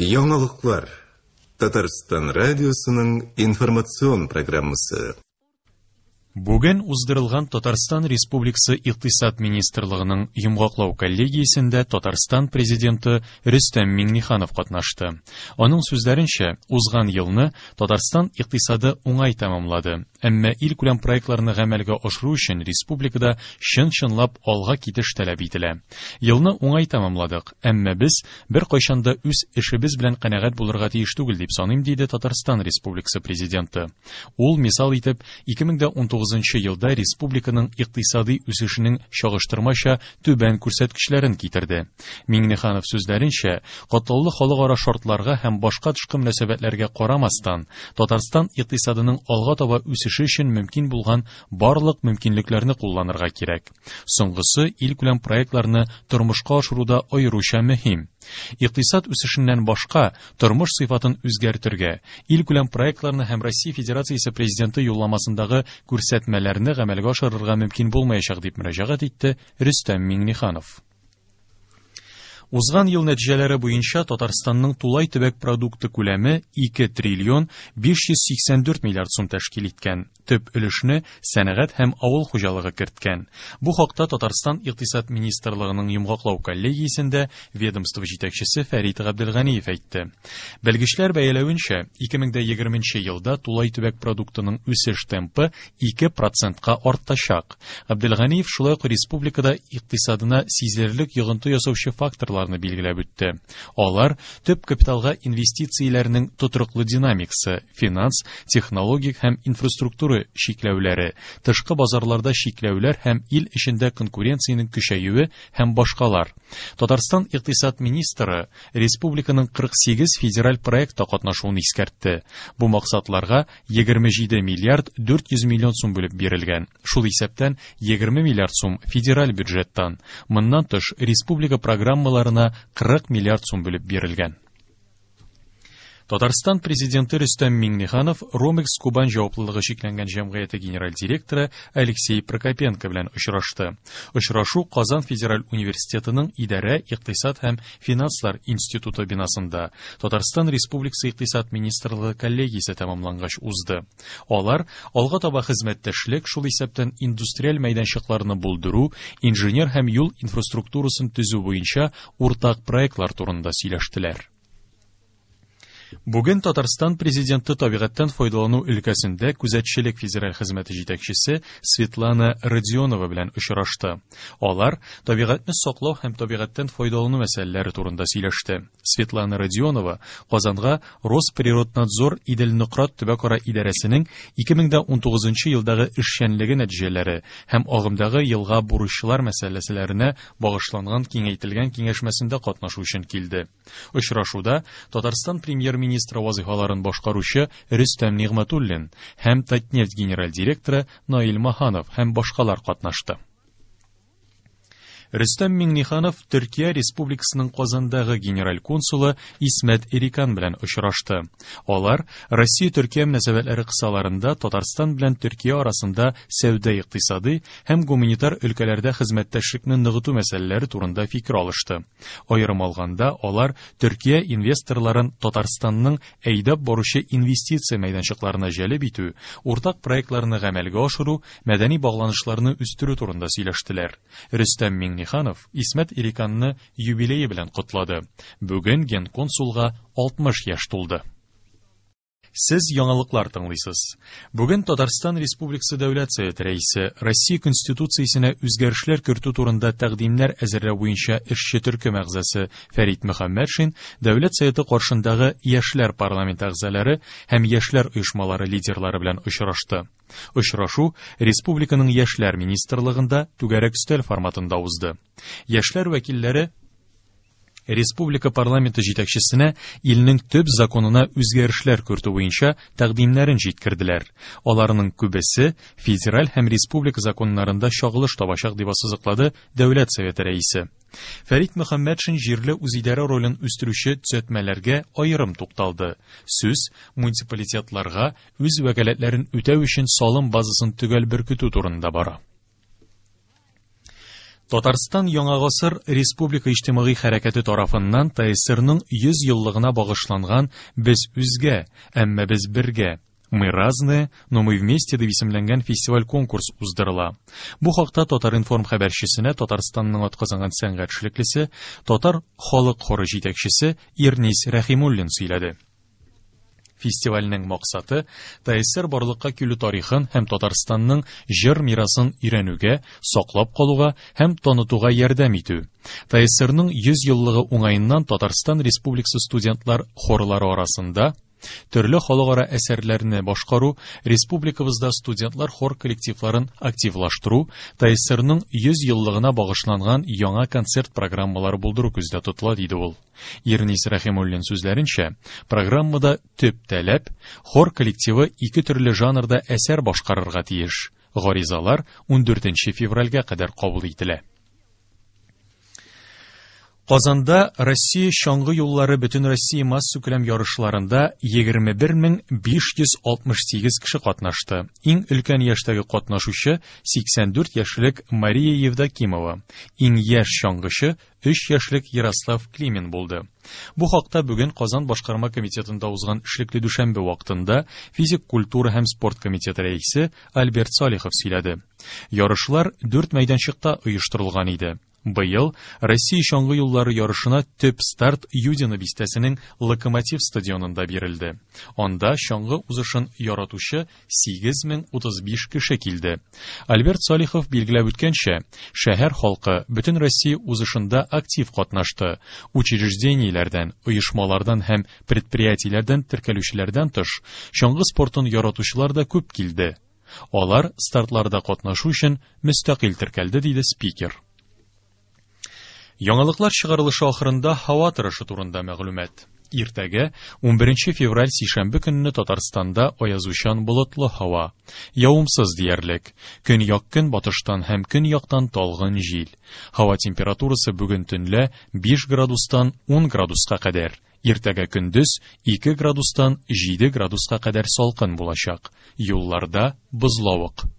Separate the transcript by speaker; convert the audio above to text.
Speaker 1: Яңалыклар. Татарстан радиосының информацион программасы.
Speaker 2: Бүген уздырылган Татарстан Республикасы Икътисад министрлыгының йомгаклау коллегиясендә Татарстан Президенты Рөстәм Миңнеханов катнашты. Аның сүзләренчә, узган елны Татарстан икътисады уңай тәмамлады. Әмма илкүләм проектларны гамәлгә ашыру өчен республикада чын-чынлап алга китеш таләп ителә. Елны уңай тәмамладык, әмма без беркайчан да үз эшебез белән канәгать булырга тиеш түгел дип саныйм, диде Татарстан Республикасы Президенты. Ул мисал итеп 2019 елда республиканың икътисади үсешенең чагыштырмача түбән күрсәткечләрен китерде. Миңнеханов сүзләренчә, катлаулы халыкара шартларга һәм башка тышкы мөнәсәбәтләргә карамастан, Татарстан икътисадының алга таба үсеше өчен мөмкин булган барлык мөмкинлекләрне кулланырга кирәк. Соңгысы илкүләм проектларны тормышка ашыруда аеруча мөһим. Икътисад үсешеннән башка, тормыш сыйфатын үзгәртергә, илкүләм проектларны һәм Россия Федерациясе Президенты юлламасындагы күрсәтмәләрне гамәлгә ашырырга мөмкин булмаячак, дип мөрәҗәгать итте Рөстәм Миңнеханов. Узган ел нәтиҗәләре буенча Татарстанның тулай төбәк продукты күләме 2 триллион 584 миллиард сум тәшкил иткән. Төп өлешне сәнәгать һәм авыл хуҗалыгы керткән. Бу хакта Татарстан Икътисад министрлыгының йомгаклау коллегиясендә ведомство җитәкчесе Фәрит Габделганиев әйтте. Белгечләр бәяләвенчә, 2020 елда тулай төбәк продуктының үсеш темпы 2 процентка артачак. Габделганиев шулай ук республикада икътисадына сизелерлек йогынты ясаучы факторларны билгеләп үтте. Алар төп капиталга инвестицияләрнең тотрыклы динамикасы, финанс, технологик һәм инфраструктура чикләүләре, тышкы базарларда чикләүләр һәм ил эчендә конкуренциянең көчәюе һәм башкалар. Татарстан икътисад министры республиканың 48 федераль проектта катнашуын искәртте. Бу максатларга 27 миллиард 400 миллион сум бүлеп бирелгән. Шул исәптән 20 миллиард сум федераль бюджеттан. Моннан тыш, республика программаларына 40 миллиард сум бүлеп бирелгән. Татарстан президенты Рөстәм Миңнеханов Ромекс Кубань җаваплылыгы чикләнгән җәмгыяте генераль директоры Алексей Прокопенко белән очрашты. Очрашу Казан федераль университетының идарә, икътисад һәм финанслар институты бинасында Татарстан Республикасы Икътисад министрлыгы коллегиясе тәмамлангач узды. Алар алга таба хезмәттәшлек, шул исәптән индустриаль мәйданчыкларны булдыру, инженер һәм юл инфраструктурасын төзү буенча уртак проектлар турында сөйләштеләр. Бүген Татарстан президенты табигатьтән файдалану өлкәсендә күзәтчелек федераль хезмәте җитәкчесе Светлана Родионова белән очрашты. Алар табигатьне саклау һәм табигатьтән файдалану мәсьәләләре турында сөйләште. Светлана Родионова Казанга Росприроднадзор Идел-Нократ төбәкара идарәсенең 2019 елдагы эшчәнлеге нәтиҗәләре һәм агымдагы елга бурычлар мәсьәләләренә багышланган киңәйтелгән киңәшмәсендә катнашу өчен килде. Очрашуда Татарстан премьер-министры вазыйфаларын башкаручы Рөстәм Нигъмәтуллин һәм Татнефть генераль директоры Наил Маханов һәм башкалар катнашты. Рөстәм Миңнеханов Төркия Республикасының Казандагы генераль консулы Исмәт Эрикан белән очрашты. Алар Россия-Төркия мөнәсәбәтләре кысаларында Татарстан белән Төркия арасында сәүдә-икътисадый һәм гуманитар өлкәләрдә хезмәттәшлекне ныгыту мәсьәләләре турында фикер алышты. Аерым алганда, алар Төркия инвесторларын Татарстанның әйдәп баручы инвестиция мәйданчыкларына җәлеп итү, уртак проектларны гамәлгә ашыру, мәдәни багланышларны үстерү турында сөйләштеләр. Рөстәм Миңнеханов Исмәт Ириканны юбилее белән котлады. Бүген генконсулга 60 яшь тулды. Сез яңалыклар тыңлыйсыз. Бүген Татарстан Республикасы Дәүләт Советы рәисе Россия Конституциясенә үзгәрешләр кертү турында тәкъдимнәр әзерләү буенча эшче төркем әгъзасы Фәрит Мөхәммәтшин Дәүләт Советы каршындагы яшьләр парламенты әгъзалары һәм яшьләр оешмалары лидерлары белән очрашты. Очрашу республиканың яшьләр министрлыгында түгәрәк өстәл форматында узды. Яшьләр вәкилләре республика парламенты җитәкчесенә илнең төп законына үзгәрешләр кертү буенча тәкъдимнәрен җиткерделәр. Аларның күбесе федераль һәм республика законнарында чагылыш табачак дип ассызыклады Дәүләт Советы рәисе. Фәрит Мөхәммәтшин җирле үзидарә ролен үстерүче төзәтмәләргә аерым тукталды. Сүз муниципалитетларга үз вәкаләтләрен үтәү өчен салым базасын төгәл беркетү турында бара. Татарстан Яңа гасыр республика иҗтимагый хәрәкәте тарафыннан ТАССРның 100 еллыгына багышланган Без үзгә, әмма без бергә, Мы разные, но мы вместе дип исемләнгән фестиваль-конкурс уздырыла. Бу хакта Татар-информ хәбәрчесенә Татарстанның атказанган сәнгать эшлеклесе, татар халык хоры җитәкчесе Ирнис Рәхимуллин сөйләде. Фестивальнең максаты ТАССР барлыкка килү тарихын һәм Татарстанның җыр мирасын өйрәнүгә, саклап калуга һәм танытуга ярдәм итү. ТАССРның 100 еллыгы уңаеннан Татарстан Республикасы студентлар хорлары арасында төрле халыкара әсәрләрне башкару, республикабызда студентлар хор коллективларын активлаштыру, ТАССРның 100 еллыгына багышланган яңа концерт программалары булдыру күздә тотыла, диде ул. Ирнис Рәхимуллин сүзләренчә, программада төп таләп хор коллективы ике төрле жанрда әсәр башкарырга тиеш. Гаризалар 14 февральгә кадәр кабул ителә. Казанда Россия чаңгы юллары Бөтенроссия массакүләм ярышларында 21568 кеше катнашты. Иң өлкән яшьтәге катнашучы 84 яшьлек Мария Евдокимова, иң яшь чаңгычы 3 яшьлек Ярослав Климин булды. Бу хакта бүген Казан башкарма комитетында узган эшлекле дүшәмбе вакытында физик культура һәм спорт комитеты рәисе Альберт Салихов сөйләде. Ярышлар дүрт мәйданчыкта оештырылган иде. Быел Россия чаңгы юллары ярышына төп старт Юдино бистәсенең Локомотив стадионында бирелде. Анда чаңгы узышын яратучы 8035 кеше килде. Альберт Салихов билгеләп үткәнчә, шәһәр халкы бөтен Россия узышында актив катнашты. Учреждениеләрдән, оешмалардан һәм предприятиеләрдән теркәлүчеләрдән тыш, чаңгы спортын яратучылар да күп килде. Алар стартларда катнашу өчен мөстәкыйль теркәлде, диде спикер. Яңалыклар чыгарылышы ахырында һава торышы турында мәгълүмат. Иртәгә 11 февраль сишәмбе көнне Татарстанда аязучан болытлы һава. Явымсыз диярлек. Көньяк көнбатыштан һәм көньяктан талгын җил. Һава температурасы бүген төнлә 5 градустан 10 градуска кадәр. Иртәгә көндез 2 градустан 7 градуска кадәр салкын булачак. Юлларда бозлавык.